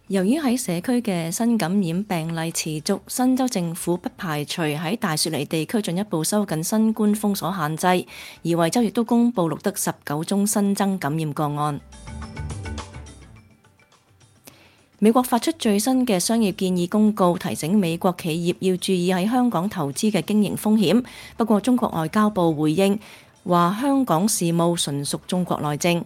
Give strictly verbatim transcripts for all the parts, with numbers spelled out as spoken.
由於喺社區嘅新感染病例持續，新州政府不排除喺大雪梨地區進一步收緊新冠封鎖限制，而維州亦都公布錄得十九宗新增感染個案。美國發出最新嘅商業建議公告，提醒美國企業要注意喺香港投資嘅經營風險。不過，中國外交部回應話，香港事務純屬中國內政。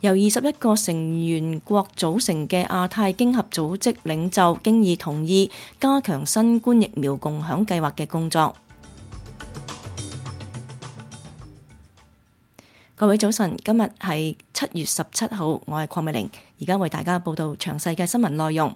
由二十一個成員國組成嘅亞太經合組織領袖經已同意加強新冠疫苗共享計劃嘅工作。各位早晨，今日係七月十七號，我係鄺美玲，而家為大家報道詳細嘅新聞內容。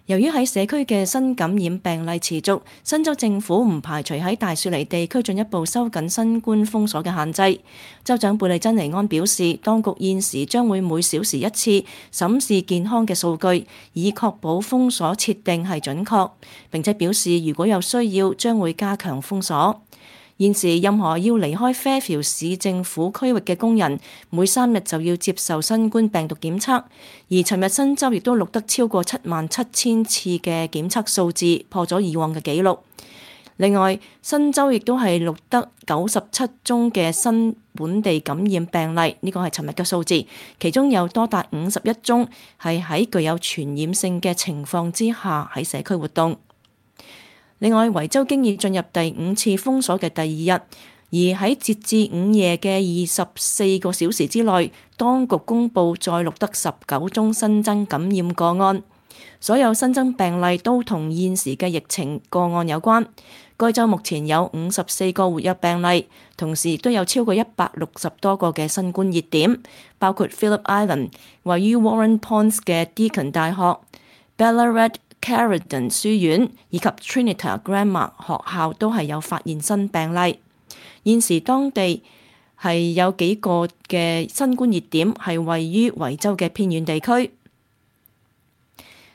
由於喺社區嘅新感染病例持續，新州政府唔排除喺大雪梨地區進一步收緊新冠封鎖嘅限制。州長貝利珍尼安表示，當局現時將會每小時一次審視健康嘅數據，以確保封鎖設定係準確。並且表示，如果有需要，將會加強封鎖。現時任何要離開 Fairfield 市政府區域嘅工人，每三日就要接受新冠病毒檢測。而尋日新州亦都錄得超過七萬七千次嘅檢測數字，破咗以往嘅紀錄。另外，新州亦都係錄得九十七宗嘅新本地感染病例，呢個係尋日嘅數字，其中有多達五十一宗係喺具有傳染性嘅情況之下喺社區活動。另外，維州經已進入第五次封鎖嘅第二日，而喺截至午夜嘅二十四個小時之內，當局公布再錄得十九宗新增感染個案。所有新增病例都同現時嘅疫情個案有關。該州目前有五十四個活躍病例，同時亦都有超過一百六十多個嘅新冠熱點，包括 Phillip Island 位於 Warren Ponds 嘅 Deakin 大學、Ballarat Carridon 書院以及 Trinity Grammar 學校都係有發現新病例。現時當地係有幾個嘅新冠熱點係位於維州嘅偏遠地區。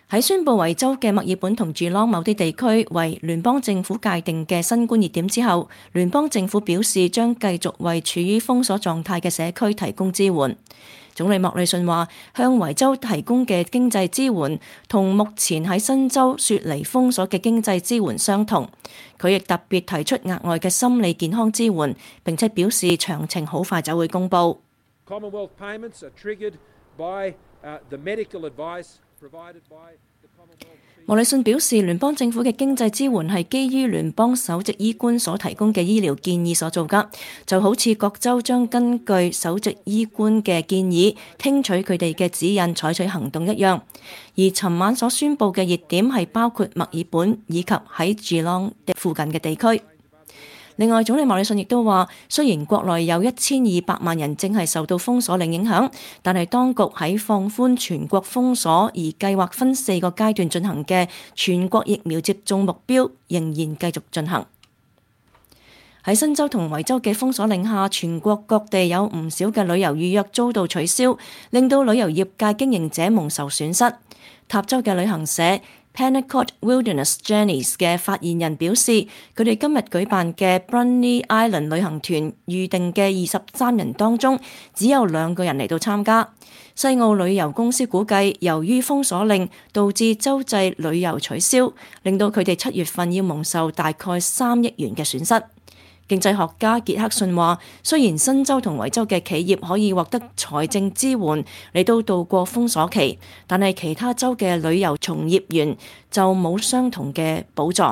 喺宣布維州嘅墨爾本同住朗某啲地區為聯邦政府界定嘅新冠熱點之後，聯邦政府表示將繼續為處於封鎖狀態嘅社區提供支援。總理莫里遜話，向維州提供嘅經濟支援同目前喺新州雪梨封鎖嘅經濟支援相同。佢亦特別提出額外嘅心理健康支援，並且表示詳情好快就會公佈。Commonwealth payments are triggered by the medical advice provided by the Commonwealth。莫里遜表示，聯邦政府嘅經濟支援係基於聯邦首席醫官所提供嘅醫療建議所做㗎，就好似各州將根據首席醫官嘅建議，聽取佢哋嘅指引，採取行動一樣。而尋晚所宣布嘅熱點係包括墨爾本以及喺住朗附近嘅地區。另外，總理莫里遜亦都話，雖然國內有一千二百萬人正係受到封鎖令影響，但係當局喺放寬全國封鎖而計劃分四個階段進行嘅全國疫苗接種目標仍然繼續進行。喺新州同維州嘅封鎖令下，全國各地有唔少嘅旅遊預約遭到取消，令到旅遊業界經營者蒙受損失。塔州嘅旅行社Pentecost Wilderness Journeys 嘅發言人表示，佢哋今日舉辦嘅 Bruny Island 旅行團預定嘅二十三人當中，只有兩個人嚟到參加。西澳旅遊公司估計，由於封鎖令導致州際旅遊取消，令到佢哋七月份要蒙受大概三億元嘅損失。經濟學家傑克遜話，雖然新州同維州嘅企業可以獲得財政支援嚟到度過封鎖期，但係其他州嘅旅遊從業員就冇相同嘅補助。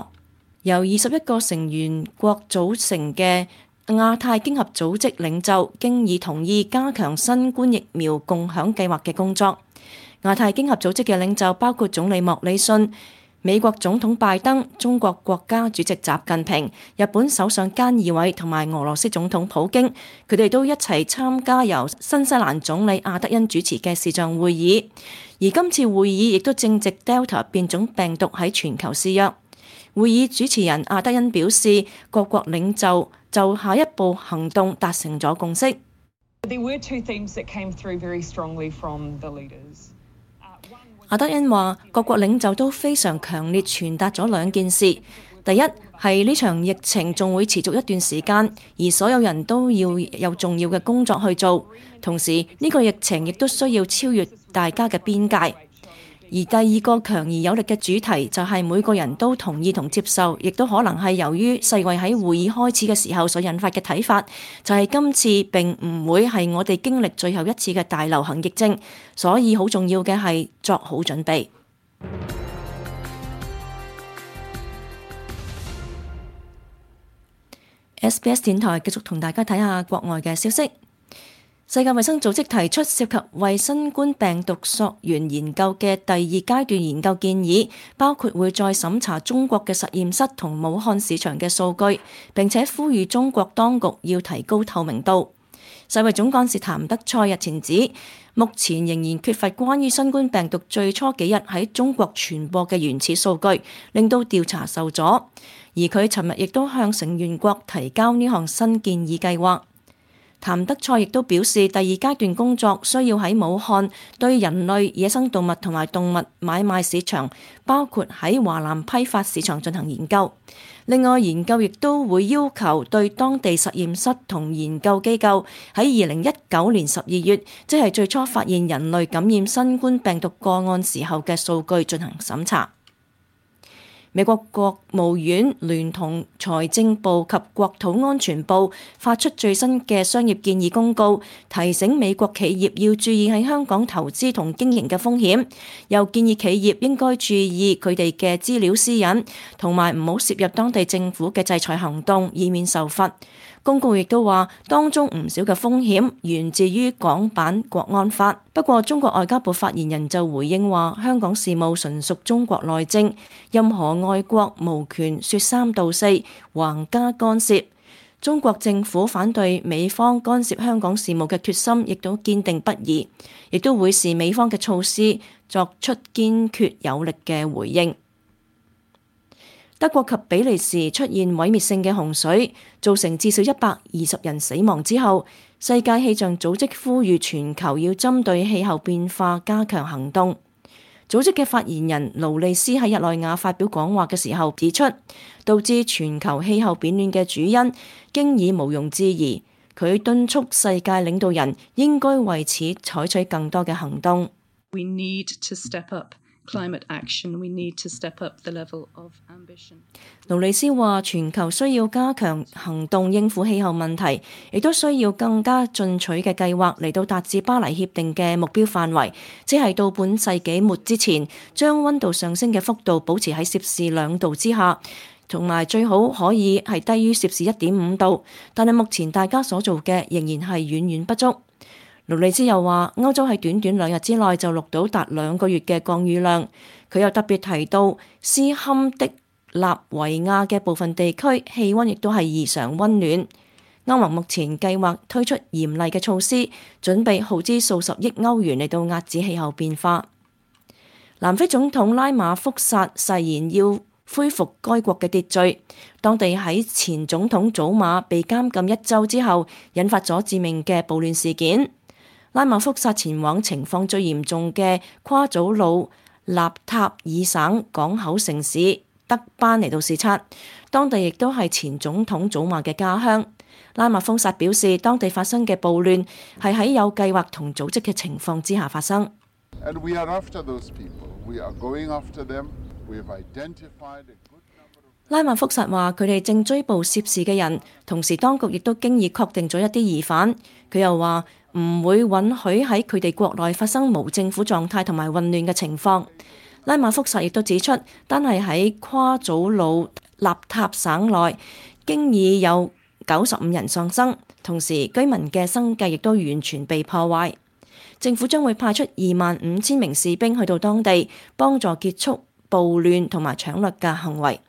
由二十一個成員國組成嘅亞太經合組織領袖經已同意加強新冠疫苗共享計劃嘅工作。亞太經合組織嘅領袖包括總理莫里遜、美國總統拜登、中國國家主席習近平、日本首相菅義偉同埋俄羅斯總統普京，佢哋都一齊參加由新西蘭總理阿德恩主持嘅視像會議。而今次會議亦都正值 Delta 變種病毒喺全球肆虐。會議主持人阿德恩表示，各國領袖就下一步行動達成咗共識。There were two themes that came through very strongly from the leaders. 阿德恩話，各國領袖都非常強烈傳達咗兩件事。第一係呢場疫情仲會持續一段時間，而所有人都要有重要嘅工作去做。同時呢個疫情亦都需要超越大家嘅邊界。而第二個強而有力嘅主題就係每個人都同意同接受，亦都可能係由於世衛喺會議開始嘅時候所引發嘅睇法，就係今次並唔會係我哋經歷最後一次嘅大流行疫症，所以好重要嘅係作好準備。S B S 電台繼續同大家睇下國外嘅消息。世界衛生組織提出涉及為新冠病毒溯源研究嘅第二階段研究建議，包括會再審查中國嘅實驗室同武漢市場嘅數據，並且呼籲中國當局要提高透明度。世衛總幹事譚德塞日前指，目前仍然缺乏關於新冠病毒最初幾日喺中國傳播嘅原始數據，令到調查受阻。而佢尋日亦都向成員國提交呢項新建議計劃。譚德塞亦都表示，第二階段工作需要喺武漢對人類、野生動物同埋動物買賣市場，包括喺華南批發市場進行研究。另外，研究亦都會要求對當地實驗室同研究機構喺二零一九年十二月，即係最初發現人類感染新冠病毒個案時候嘅數據進行審查。美國國務院聯同財政部及國土安全部發出最新嘅商業建議公告，提醒美國企業要注意喺香港投資同經營嘅風險，又建議企業應該注意佢哋嘅資料私隱，同埋唔好涉入當地政府嘅制裁行動，以免受罰。公告亦都話，當中唔少嘅風險源自於港版國安法。不過，中國外交部發言人就回應話，香港事務純屬中國內政，任何外國無權說三道四，橫加干涉。中國政府反對美方干涉香港事務嘅決心亦都堅定不移，亦都會視美方嘅措施作出堅決有力嘅回應。德國及比利時出現毀滅性嘅洪水，造成至少一百二十人死亡之後，世界氣象組織呼籲全球要針對氣候變化加強行動。組織嘅發言人勞利斯喺日內瓦發表講話嘅時候指出，導致全球氣候變暖嘅主因經已毋庸置疑。佢敦促世界領導人應該為此採取更多嘅行動。We need to step up climate action. We need to step up the level of ambition. 勞利斯話，全球需要加強行動應付氣候問題，亦都需要更加進取嘅計劃嚟到達至巴黎協定嘅目標範圍，即係到本世紀末之前，將溫度上升嘅幅度保持喺攝氏兩度之下，同埋最好可以係低於攝氏一點五度。但係目前大家所做嘅仍然係遠遠不足。勞利斯又話，歐洲喺短短兩日之內就錄到達兩個月嘅降雨量。佢又特別提到，斯堪的納維亞嘅部分地區氣温亦都係異常温暖。歐盟目前計劃推出嚴厲嘅措施，準備耗資數十億歐元嚟到壓止氣候變化。南非總統拉馬福薩誓言要恢復該國嘅秩序。當地喺前總統祖馬被監禁一週之後，引發咗致命嘅暴亂事件。拉馬福薩前往情況最嚴重嘅夸祖魯納塔爾省港口城市德班嚟到視察，當地亦都係前總統祖馬嘅家鄉。拉馬福薩表示，當地發生嘅暴亂係喺有計劃同組織嘅情況之下發生。And we are after those people. We are going after them. We have identified a good number of... 拉馬福薩話：佢哋正追捕涉事嘅人，同時當局亦都經已確定咗一啲疑犯。佢又話唔會允許喺佢哋國內發生無政府狀態同埋混亂嘅情況。拉馬福薩亦都指出，單係喺夸祖魯納塔省內，經已有九十五人喪生，同時居民嘅生計亦都完全被破壞。政府將會派出二萬五千名士兵去到當地，幫助結束暴亂同埋搶掠嘅行為。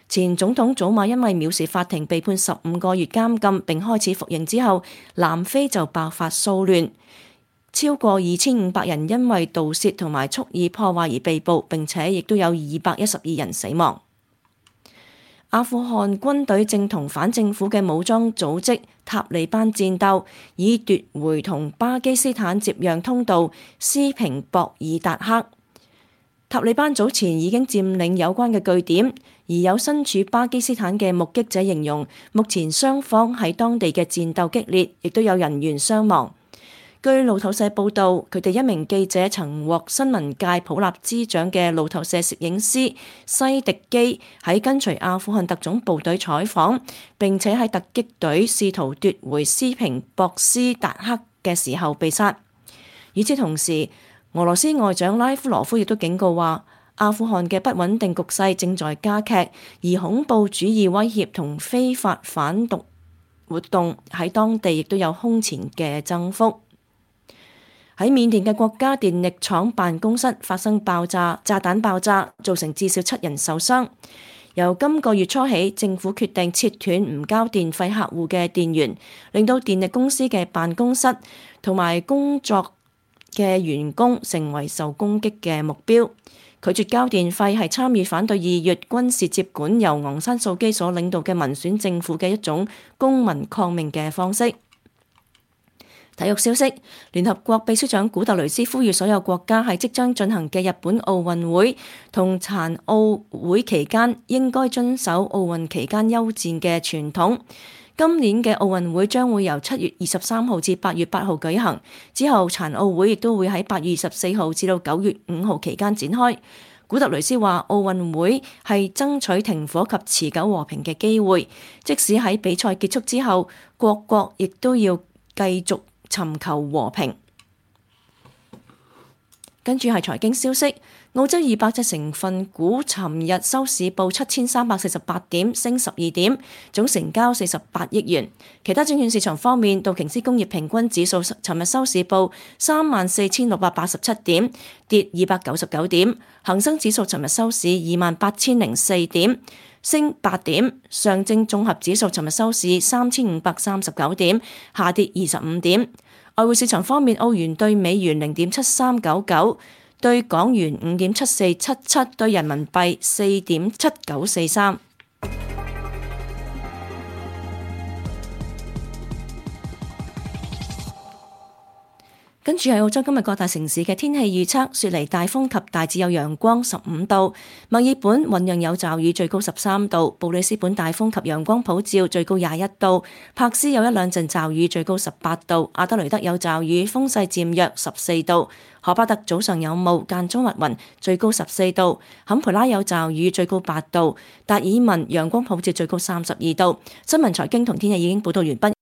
前總統祖馬因為藐視法庭被判十五個月監禁並開始服刑之後，南非就爆發騷亂，超過二千五百人因為盜竊同埋蓄意破壞而被捕，並且亦都有二百一十二人死亡。阿富汗軍隊正同反政府嘅武裝組織塔利班戰鬥，以奪回同巴基斯坦接壤通道斯平博爾達克。塔利班早前已經佔領有關嘅據點，而有身處巴基斯坦嘅目擊者形容，目前雙方喺當地嘅戰鬥激烈，亦都有人員傷亡。據路透社報導，佢哋一名記者曾獲新聞界普立茲獎嘅路透社攝影師西迪基喺跟隨阿富汗特種部隊採訪，並且喺突擊隊試圖奪回斯平博斯達克嘅時候被殺。與此同時，俄羅斯外長拉夫羅夫亦都警告話，阿富汗嘅不穩定局勢正在加劇，而恐怖主義威脅同非法反毒活動喺當地亦都有空前嘅增幅。喺緬甸嘅國家電力廠辦公室發生爆炸，炸彈爆炸造成至少七人受傷。由今個月初起，政府決定切斷唔交電費客戶嘅電源，令到電力公司嘅辦公室同埋工作嘅員工成為受攻擊嘅目標。拒絕交電費係參與反對二月軍事接管由昂山素基所領導嘅民選政府嘅一種公民抗命嘅方式。體育消息，聯合國秘書長古特雷斯呼籲所有國家喺即將進行嘅日本奧運會同殘奧會期間應該遵守奧運期間休戰嘅傳統。今年嘅奧運會將會由七月二十三號至八月八號舉行，之後殘奧會亦都會喺八月二十四號至到九月五號期間展開。古特雷斯話：奧運會係爭取停火及持久和平嘅機會，即使喺比賽結束之後，各國亦都要繼續尋求和平。跟住係財經消息，澳洲二百隻成分股尋日收市報七千三百四十八點，升十二點，總成交四十八億元。其他證券市場方面，道瓊斯工業平均指數尋日收市報三萬四千六百八十七點，跌二百九十九點。恒生指數尋日收市二萬八千零四點，升八點。上證綜合指數尋日收市三千五百三十九點，下跌二十五點。外匯市場方面，澳元對美元零點七三九九，對港元五點七四七七，對人民幣四點七九四三。跟住係澳洲今日各大城市嘅天氣預測：雪梨大風及大致有陽光，十五度；墨爾本醞釀有驟雨，最高十三度；布里斯本大風及陽光普照，最高廿一度；柏斯有一兩陣驟雨，最高十八度；阿德雷德有驟雨，風勢漸弱，十四度；荷巴特早上有霧，間中密雲，最高十四度；坎培拉有驟雨，最高八度；達爾文陽光普照，最高三十二度。新聞財經同天氣已經報道完畢。